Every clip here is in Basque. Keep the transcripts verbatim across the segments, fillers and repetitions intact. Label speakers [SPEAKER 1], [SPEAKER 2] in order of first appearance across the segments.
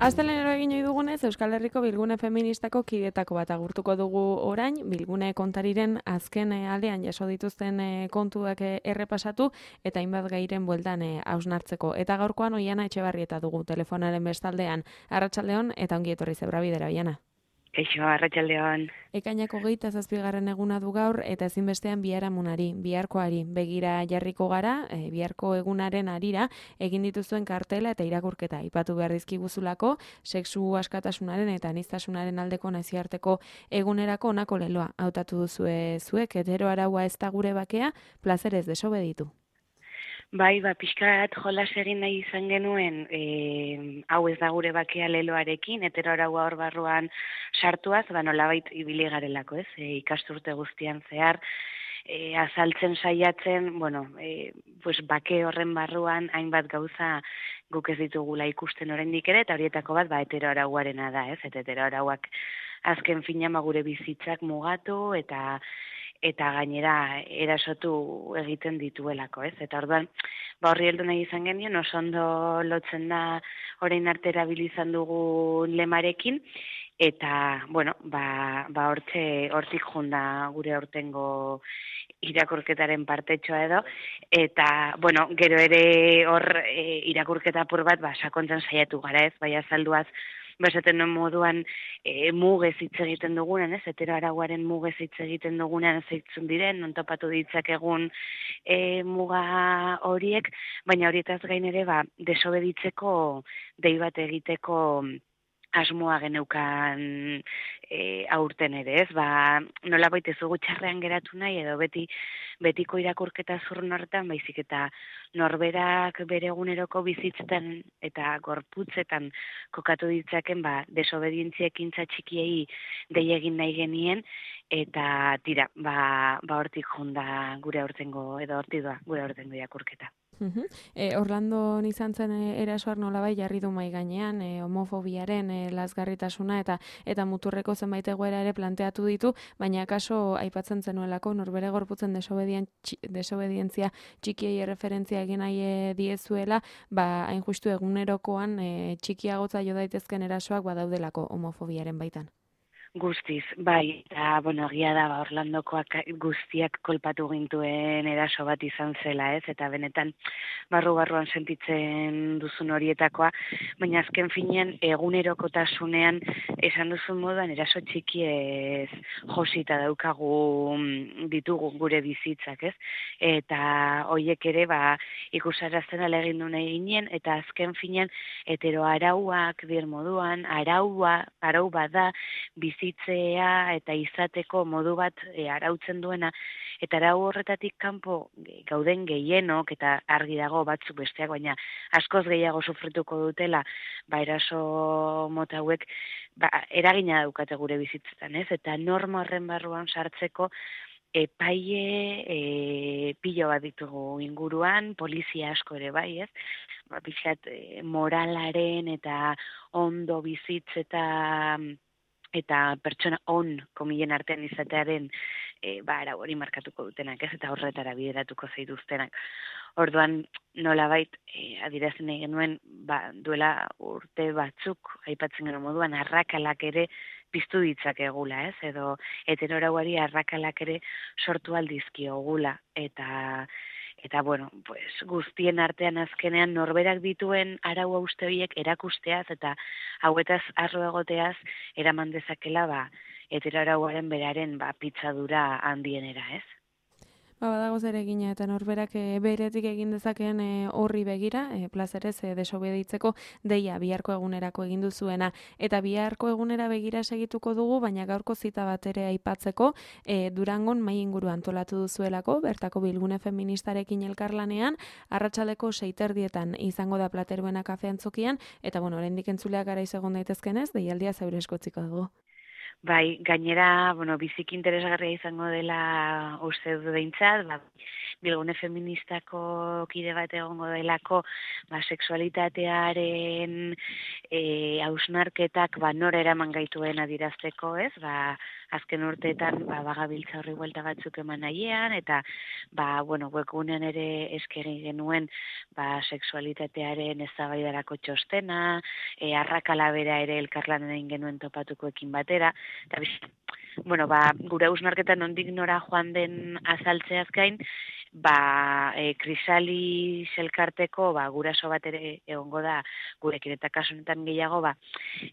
[SPEAKER 1] Asteleenero egin ohi dugunez, Euskal Herriko Bilgune Feministako kidetako bat agurtuko dugu orain, Bilgune kontariren azken eh, aldean jaso dituzten eh, kontuak eh, errepasatu eta hainbat gairen bueltan eh, hausnartzeko. Eta gaurkoan Oiana Etxebarrieta dugu telefonaren bestaldean. Arratsaldeon eta ongi etorri Zebrabidera, Oiana.
[SPEAKER 2] Eixo, arratsaldeon.
[SPEAKER 1] Ekainako hogeita zazpigarren eguna du gaur eta ezinbestean biharamunari, biharkoari begira jarriko gara, e, biharko egunaren arira egin dituzuen kartela eta irakurketa aipatu behar dizkiguzulako, sexu askatasunaren eta aniztasunaren aldeko nazioarteko egunerako honako leloa hautatu duzue zuek, hetero araua ez da gure bakea, plazerez desobeditu.
[SPEAKER 2] Bai, ba, pixkat jolas egin nahi izan genuen, e, hau ez da gure bakea leloarekin, hetero araua hor barruan sartuaz, ba, nolabait ibili garelako, ez? E, ikasturte guztian zehar, e, azaltzen saiatzen, bueno, e, pues, bake horren barruan hainbat gauza guk ez ditugula ikusten oraindik ere, eta horietako bat, ba, hetero arauarena da, ez? Eta hetero arauak azken finean gure bizitzak mugatu, eta eta gainera erasotu egiten dituelako, ez? Eta orduan, ba horri heldu nahi izan genien, oso ondo lotzen da orain arte erabili izan dugu lemarekin, eta, bueno, ba, ba hortxe, hortik junda gure aurtengo irakurketaren partetxoa edo, eta, bueno, gero ere hor e, irakurketa apur bat, ba, sakontzen saiatu gara, ez? Bai azalduaz, bezaten duen moduan e, mugez hitz egiten dugunen, ez, hetero arauaren mugez hitz egiten dugunen zeitzun diren, non topatu ditzakegun e, muga horiek, baina horietaz gain ere, ba, desobeditzeko dei bat egiteko asmoa geneukan e, aurten ere, ez? Ba, nola baita ez dugu txarrean geratu nahi, edo beti betiko irakurketa zurrun horretan, baizik eta norberak bere eguneroko bizitzetan eta gorputzetan kokatu ditzaken, ba, desobedientzia ekintza txikiei dei egin nahi genien, eta tira, ba, ba hortik jonda gure aurtengo, edo hortik doa gure aurtengo irakurketa.
[SPEAKER 1] Uh-huh. E, Orlando izan zen e, erasoak nolabai jarri du mai gainean, e, homofobiaren e, lazgarritasuna eta eta muturreko zenbait egoera ere planteatu ditu, baina akaso aipatzen zenuelako norbere gorputzen desobedien, desobedientzia txikiei erreferentzia egin nahi e, diezuela, ba hain justu egunerokoan e, txikiagotza jo daitezken erasoak badaudelako homofobiaren baitan.
[SPEAKER 2] Guztiz, bai, eta, bueno, egia da, ba, Orlandokoak guztiak kolpatu gintuen eraso bat izan zela, ez, eta benetan barru-barruan sentitzen duzun horietakoa, baina azken finean egunerokotasunean esan duzun moduan eraso txiki ez josita daukagu ditugu gure bizitzak, ez, eta hoiek ere, ba, ikusarazten alegin du nahi ginen, eta azken finean hetero arauak dir moduan, araua, arau bada, bizitzak, bizitzea eta izateko modu bat e, arautzen duena, eta arau horretatik kanpo gauden gehienok, eta argi dago batzuk besteak, baina askoz gehiago sufrituko dutela, ba eraso mota hauek, ba, eragina daukate gure bizitzetan, ez? Eta norma horren barruan sartzeko epaile e, pilo bat ditugu inguruan, polizia asko ere bai, ez? Ba, pixat, e, moralaren eta ondo bizitz eta eta pertsona on komilen artean izatearen e, ba, arau hori markatuko dutenak, ez, eta horretara bideratuko zeituztenak. Orduan, nolabait, e, adierazten nahi genuen, ba, duela urte batzuk, aipatzen genuen moduan, arrakalak ere piztu ditzakegula, ez, edo hetero arauari arrakalak ere sortu aldizkiogula, eta Eta, bueno, pues, guztien artean azkenean norberak dituen arau uste horiek erakusteaz eta hauetaz arro egoteaz eraman dezakela, ba, hetero arauaren beraren ba, pitzadura handienera, ez?
[SPEAKER 1] Ba, badago zer egina eta norberak e, beretik egin dezakeen e, horri begira, e, plazerez e, desobeditzeko deia biharko egunerako egin duzuena. Eta biharko egunera begira segituko dugu, baina gaurko zita bat ere aipatzeko, e, Durangon mai inguru antolatu duzuelako, bertako Bilgune Feministarekin elkarlanean, arratsaldeko seiterdietan izango da Plateruena kafean zokian, eta bueno, oraindik entzuleak garaiz egon daitezkenez, deialdia zeure eskotziko dugu.
[SPEAKER 2] Bai, gainera, bueno, biziki interesgarria izango dela uste dut behintzat, ba, bilgune feministako kide bat egongo delako, ba, sexualitatearen e, hausnarketak ba, nora eraman gaituen adirazteko, ez? Ba, azken urteetan ba, bagabiltza horri buelta batzuk eman nahiean, eta ba, bueno, webgunean ere eskeri genuen ba, sexualitatearen eztabaidarako txostena, e, arrakala bera ere elkarlanen egin genuen topatukoekin batera, eta biz, bueno, ba, gure hausnarketan nondik nora joan den azaltzeaz gain, ba, e, krisali elkarteko ba, guraso bat ere egongo da gurekin, eta kasu honetan gehiago ba,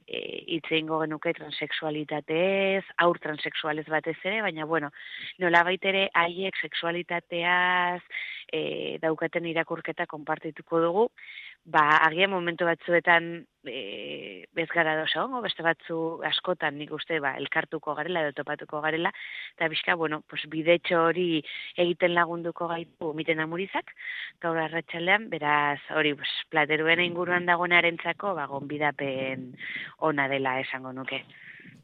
[SPEAKER 2] e, hitz egingo genuke transexualitatez, aur transexualez batez ere, baina bueno, nolabait ere haiek sexualitateaz e, daukaten irakurketa konpartituko dugu, ba, agian momentu batzuetan e, bez gara dosa hongo, beste batzu askotan nik uste ba, elkartuko garela edo topatuko garela, eta bizka, bueno, pues, bidetxo hori egiten lagunduko gaitu miten amurizak, gaur arratsaldean, beraz, hori, pues, plateruen inguruan dagoenarentzako, ba, gonbidapen ona dela esango nuke.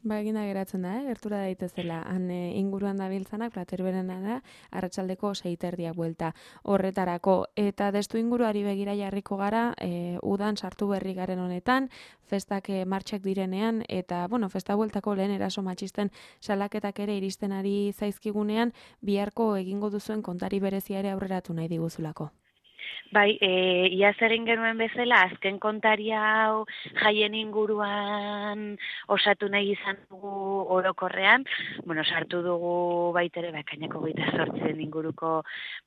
[SPEAKER 1] Ba, eginda geratzen da, eh? Gertura daitezela, han e, inguruan dabiltzanak, plateruberena da, arratsaldeko seiterdiak buelta horretarako. Eta destu inguruari begira jarriko gara, e, udan sartu berri garen honetan, festak e, martxak direnean, eta, bueno, festa bueltako lehen eraso matxisten salaketak ere iristen ari zaizkigunean, biharko egingo duzuen kontari berezia ere aurreratu nahi diguzulako.
[SPEAKER 2] Bai, e, iaz egin genuen bezala, azken kontaria hau jaien inguruan osatu nahi izan dugu orokorrean, bueno, sartu dugu baitere, bakainako gaita sortzen inguruko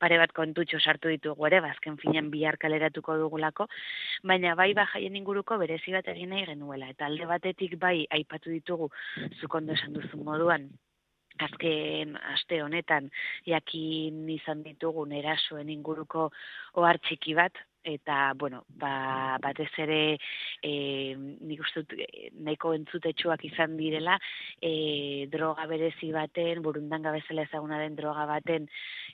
[SPEAKER 2] pare bat kontutxo sartu ditugu ere, bazken finean bihar kaleratuko dugulako, baina bai ba jaien inguruko berezi bat egin nahi genuela, eta alde batetik bai aipatu ditugu zuk ondo esan duzun moduan, azken aste honetan jakin izan ditugun erasoen inguruko ohar txiki bat, eta, bueno, ba, batez ere e, nik uste dut nahiko entzutetsuak izan direla, e, droga berezi baten, burundanga bezala ezaguna den droga baten,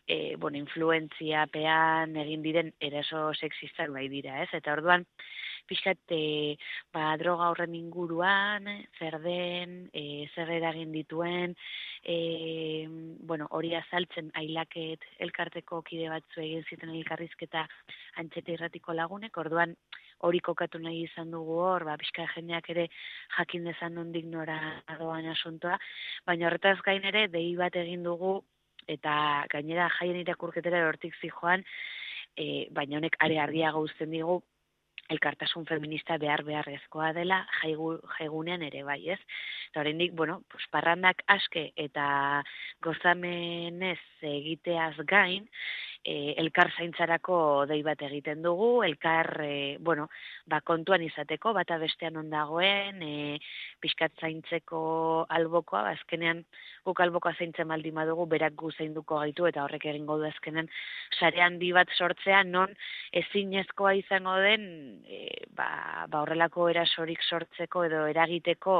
[SPEAKER 2] e, bueno, influentziapean egin diren eraso sexistak bai dira, ez? Eta orduan, pixkat, e, ba, droga horren inguruan, zer den, e, zer eragin dituen, e, bueno, hori azaltzen ailaket elkarteko kide batzu egin ziten elkarrizketa Antxeta irratiko lagunek, orduan hori kokatu nahi izan dugu hor, ba, pixka jendeak ere jakin dezan nondik nora doan asuntoa, baina horretaz gain ere, dei bat egin dugu, eta gainera jaien irakurketera hortik zijoan, e, baina honek are argiago uzten digu, elkartasun feminista behar beharrezkoa dela jaigu, jaigunean ere bai, ez? Eta oraindik, bueno, pues, parrandak aske eta gozamenez egiteaz gain, e, elkar zaintzarako dei bat egiten dugu, elkar, e, bueno, ba, kontuan izateko, bata bestean ondagoen, e, pixkat zaintzeko albokoa, azkenean guk albokoa zaintzen baldin badugu, berak gu zainduko gaitu, eta horrek egingo du azkenean sare handi bat sortzea, non ezinezkoa izango den, E, ba, ba horrelako erasorik sortzeko edo eragiteko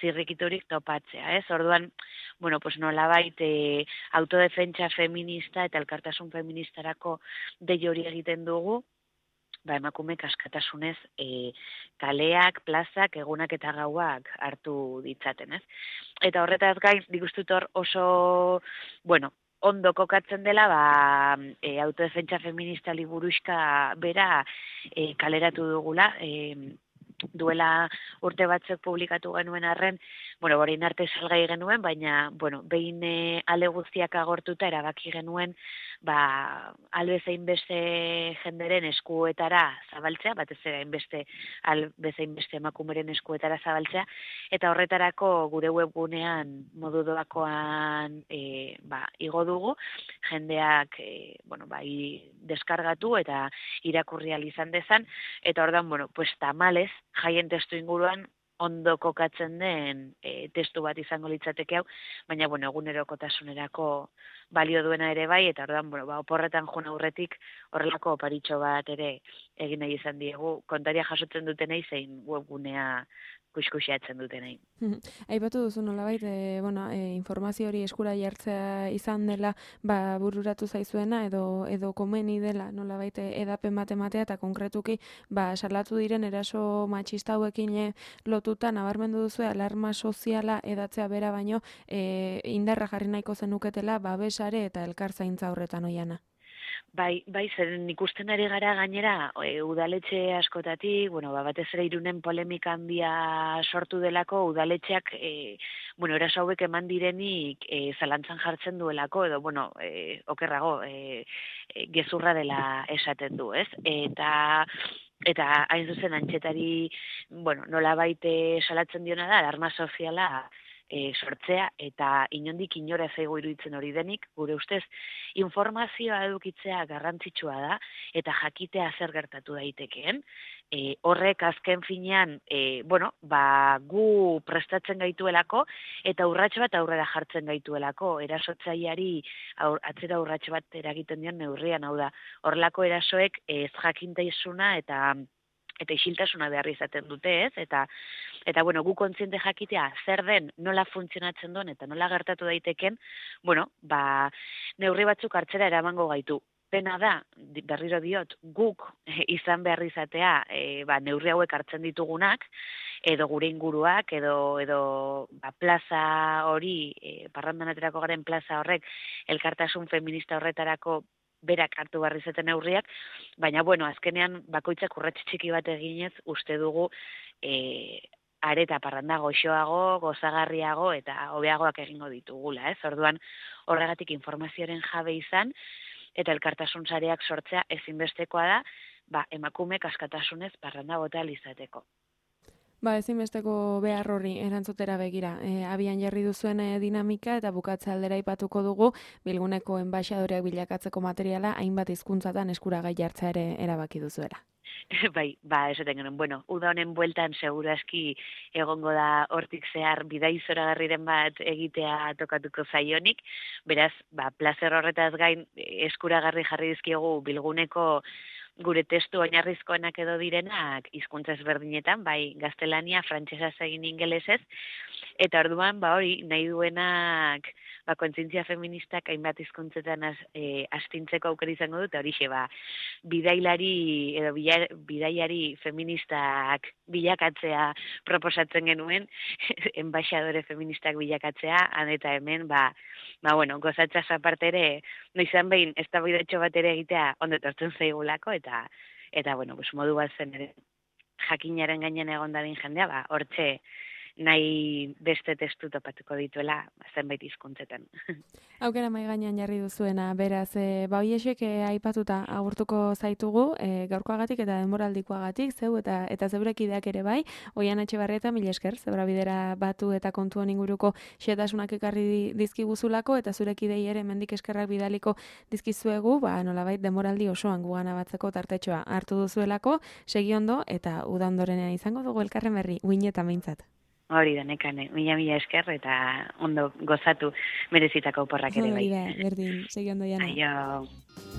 [SPEAKER 2] zirrikiturik topatzea, ez? Orduan, bueno, pues nolabait e, autodefentsa feminista eta elkartasun feministarako dei hori egiten dugu, ba emakumeek askatasunez e, kaleak, plazak, egunak eta gauak hartu ditzaten, ez? Eta horretaz gain, nik uste dut hor oso, bueno, ondo kokatzen dela, ba, e, autodefentsa feminista liburuxka bera e, kaleratu dugula, e, duela urte batzuk publikatu genuen arren, bueno, orain arte salgai genuen, baina, bueno, behin e, ale guztiak agortuta erabaki genuen, ba, albezein beste jenderen eskuetara zabaltzea, batez ere hainbeste albezein beste emakumeren eskuetara zabaltzea, eta horretarako gure webgunean modu doakoan e, ba, igo dugu, jendeak e, bueno, bai, deskargatu eta irakurri ahal izan dezan, eta ordan, bueno, pues tamales, jaien testu inguruan ondo kokatzen den e, testu bat izango litzateke hau, baina, bueno, egunerokotasunerako balio duena ere bai, eta ordan, bueno, ba, oporretan joan aurretik horrelako oparitxo bat ere egin nahi izan diegu, kontaria jasotzen dutenei zein webgunea kuskusiatzen dutenei.
[SPEAKER 1] Aipatu duzu nolabait, e, bueno, e, informazio hori eskura jartzea izan dela, ba, bururatu zaizuena edo edo komeni dela nolabait edapen bat ematea, eta konkretuki ba salatu diren eraso matxista hauekin e, lotuta nabarmendu duzu alarma soziala edatzea bera baino e, indarra jarri nahiko zenuketela babesare eta elkarzaintza horretan oiana.
[SPEAKER 2] Bai, bai, zeren ikusten ari gara gainera, e, udaletxe askotatik, bueno, ba, batez ere Irunen polemika handia sortu delako, udaletxeak, e, bueno, eraso hauek eman direnik e, zalantzan jartzen duelako, edo, bueno, e, okerrago, e, e, gezurra dela esaten du, ez? Eta eta hain zuzen antxetari, bueno, nola baite salatzen diona da, alarma soziala e, sortzea, eta inondik inora zaigu iruditzen hori denik, gure ustez, informazioa edukitzea garrantzitsua da, eta jakitea zer gertatu daitekeen. E, horrek azken finean, e, bueno, ba, gu prestatzen gaituelako, eta urrats bat aurrera jartzen gaituelako, erasotzaileari aur, atzera urrats bat eragiten dion neurrian, hau da, horrelako erasoek ez jakintaisuna eta eta isiltasuna behar izaten dute, ez? Eta, eta bueno, gu kontziente jakitea zer den, nola funtzionatzen duen, eta nola gertatu daiteken, bueno, ba, neurri batzuk hartzera eramango gaitu. Pena da, berriro diot, guk izan behar izatea, e, ba, neurri hauek hartzen ditugunak, edo gure inguruak, edo, edo ba, plaza hori, e, parrandan aterako garen plaza horrek, elkartasun feminista horretarako berak hartu behar izaten neurriak, baina, bueno, azkenean bakoitzak urrats txiki bat eginez, uste dugu e, areta parranda goxoago, gozagarriago eta hobeagoak egingo ditugula, ez? Orduan, horregatik informazioaren jabe izan, eta elkartasun sareak sortzea ezinbestekoa da, ba, emakumeek askatasunez parranda bota izateko.
[SPEAKER 1] Ba, ezinbesteko behar horri erantzutera begira. E, abian jarri duzuen e, dinamika eta bukatze aldera ipatuko dugu Bilguneko enbaixadoreak bilakatzeko materiala hainbat hizkuntzatan eskuragai jartzea ere erabaki duzuela.
[SPEAKER 2] Bai, ba, esaten genuen, bueno, uda honen bueltan seguru aski egongo da hortik zehar bidai zoragarriren bat egitea tokatuko zaionik, beraz, ba, plazer horretaz gain eskuragarri jarri dizkiogu Bilguneko gure testu oinarrizkoenak edo direnak hizkuntza ezberdinetan, bai gaztelania, frantsesaz egin ingelesez, eta orduan, ba hori, nahi duenak, ba, kontzientzia feministak hainbat hizkuntzetan az, e, astintzeko aukera izango dut, horixe, ba, bidailari edo bidaiari feministak bilakatzea proposatzen genuen, enbaixadore feministak bilakatzea, han eta hemen, ba, ba bueno, gozatzaz aparte ere, noizan behin, ez da bidatxo bat ere egitea, ondo etortzen zaigulako, eta, eta bueno, pues, modu bat zen ere, jakinaren gainen egon dadin jendea, ba, hortxe, nahi beste testu topatuko dituela zenbait hizkuntzetan.
[SPEAKER 1] Aukera mai gainean jarri duzuena, beraz, e, ba hoiexek e, aipatuta agurtuko zaitugu, e, gaurkoagatik eta denboraldikoagatik, zeu eta eta zeurekideak ere bai, Oihan Etxebarrieta, mila esker, zebra bidera batu eta kontuan inguruko xetasunak ekarri dizkiguzulako, eta zurekidei ere mendik eskerrak bidaliko dizkizuegu, ba, nolabait denboraldi osoan gugana batzeko tartetxoa hartu duzuelako, segi ondo, eta uda ondorenean izango dugu elkarren berri, uinetan behintzat.
[SPEAKER 2] Hori da, nekane, mila mila esker eta ondo gozatu merezitako oporrak ere bai.
[SPEAKER 1] Hori da, berdin, segi ondo jana.
[SPEAKER 2] Aio.